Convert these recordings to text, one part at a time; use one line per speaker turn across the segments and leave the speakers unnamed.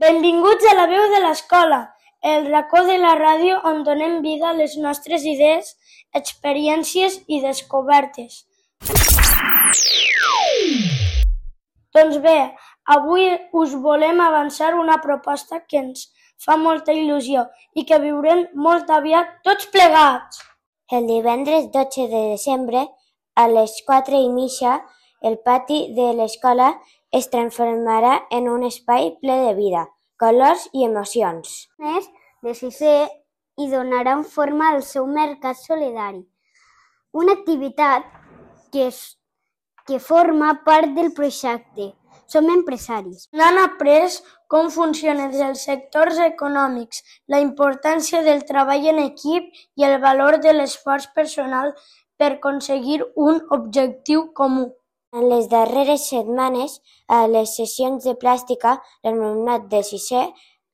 Benvinguts a La veu de l'escola, el racó de la ràdio on donem vida a les nostres idees, experiències i descobertes. Doncs bé, avui us volem avançar una proposta que ens fa molta il·lusió i que viurem molt aviat tots plegats.
El divendres 12 de desembre, a les 4:30, el pati de l'escola es transformarà en un espai ple de vida, colors i emocions.
Els de sisè hi donaran forma al seu mercat solidari, una activitat que forma part del projecte. Som empresaris.
N'han après com funcionen els sectors econòmics, la importància del treball en equip i el valor de l'esforç personal per aconseguir un objectiu comú.
En les darreres setmanes, a les sessions de plàstica, l'alumnat de sisè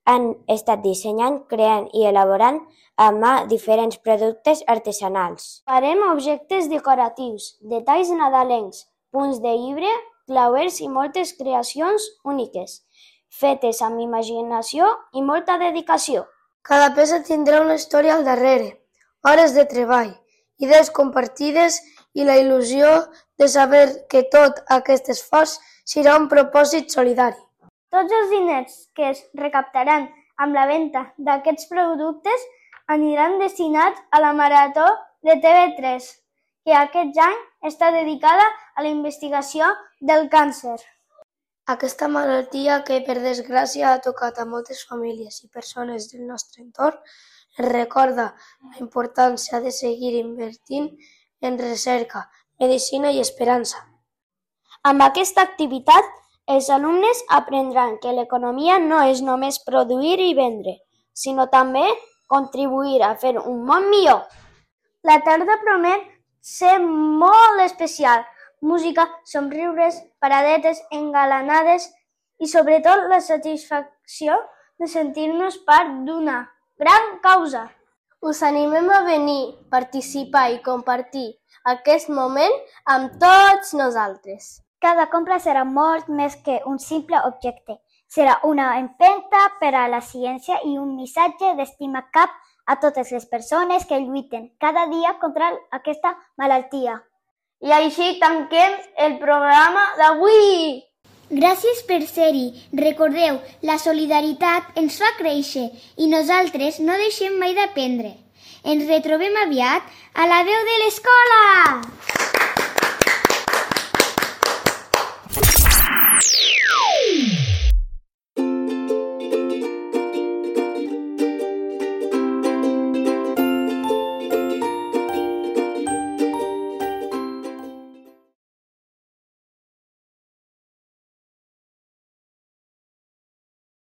han estat dissenyant, creant i elaborant a mà diferents productes artesanals.
Farem objectes decoratius, detalls nadalencs, punts de llibre, clauers i moltes creacions úniques, fetes amb imaginació i molta dedicació.
Cada peça tindrà una història al darrere, hores de treball, idees compartides i la il·lusió de saber que tot aquest esforç serà un propòsit solidari.
Tots els diners que es recaptaran amb la venda d'aquests productes aniran destinats a la Marató de TV3, que aquest any està dedicada a la investigació del càncer.
Aquesta malaltia que, per desgràcia, ha tocat a moltes famílies i persones del nostre entorn ens recorda la importància de seguir invertint en recerca, medicina i esperança.
Amb aquesta activitat, els alumnes aprendran que l'economia no és només produir i vendre, sinó també contribuir a fer un món millor. La tarda promet ser molt especial. Música, somriures, paradetes engalanades i sobretot la satisfacció de sentir-nos part d'una gran causa. Us animem a venir, participar i compartir aquest moment amb tots nosaltres. Cada compra serà molt més que un simple objecte. Serà una empenta per a la ciència i un missatge d'estima cap a totes les persones que lluiten cada dia contra aquesta malaltia. I així tanquem el programa d'avui. Gràcies per ser-hi. Recordeu, la solidaritat ens fa créixer i nosaltres no deixem mai d'aprendre. Ens retrobem aviat a La veu de l'escola!